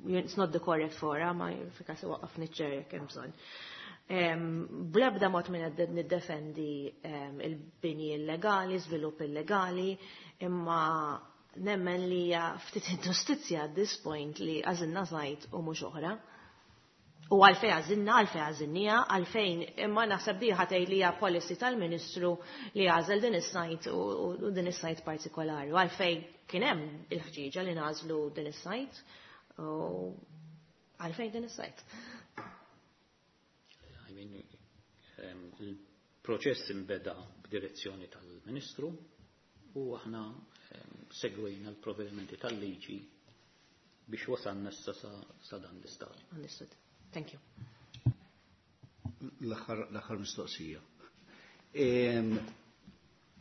it's not the correct forum, ma fika se waqaf niċċer jekk hemm bżonn. Um, Blebda mod minn qed niddefendi um, il-bini illegali, żvilupp illegali, imma nemmen li hija ftit inġustizzja at this point li għażilna site u mhux oħra. U għalfejn għażilna, għalfejn għażilniha, għalfejn imma naħseb di ħatej li hija policy tal-Ministru li għażel din is-site u u din is-site partikolari. U għalfejn kien hemm il-ħġieġa li nagħżlu din is-site u għalfejn din is-site. I mean, um, il-proċess imbeda b'direzzjoni tal-Ministru u aħna um, segwejna l-provvedimenti tal-liġi biex wasalna issa sa, sa dan l-istadju. Understood. Thank you. L-aħħar l-aħħar mistoqsija. Em,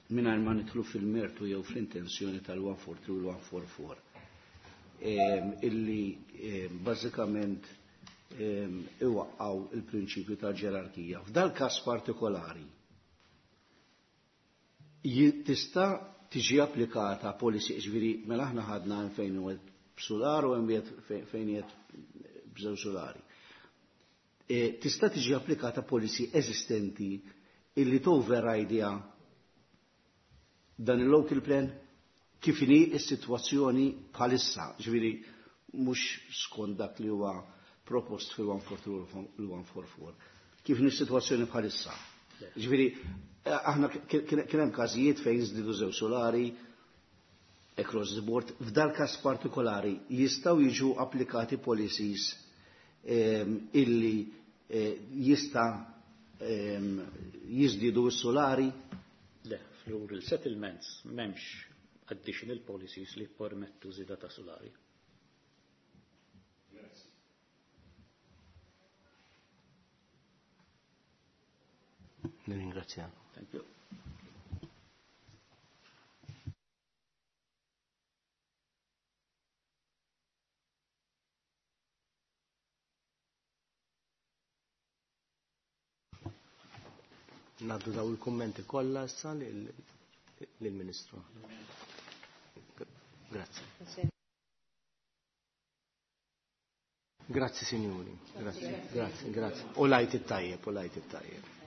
Mingħajr ma nidħlu fil-mertu jew fl-intenzjoni tal-one forty-three u l-one forty-four, em, illi em, bażikament em, iwaqqaw il-prinċipju ta' ġerarkija. F'dal każ partikolari ji- tista' tiġi applikata policy, ġifieri mela aħna ħadna hemm fejn wieħed b'sular u hemm wieħed fejn wieħed b'żewġ sulari. E, tista' tiġi applikata policy eżistenti illi toverridja dan il-local plan kif inhi s-sitwazzjoni bħalissa, ġifieri mhux skont dak li huwa propost fil-one forty-three u l-one forty-four. Kif inhi s-sitwazzjoni bħalissa? Ġifieri eh, aħna kien kien hemm każijiet fejn żdiedu żewġ solari across the board. F'dal każ partikolari jistgħu jiġu applikati policies em, illi eh, jista' em, jiżdiedu s-solari. Le, fl-rural settlements m'hemmx additional policies li permettu żieda ta' solari. Nirringrazzjak. Thank you. Ngħaddu daw il-kummenti kollha issa lill-Ministru. Grazzi. Grazzi, signori. Grazzi, grazzi, grazzi. U l-Għid it-tajjeb, u l-Għid it-tajjeb.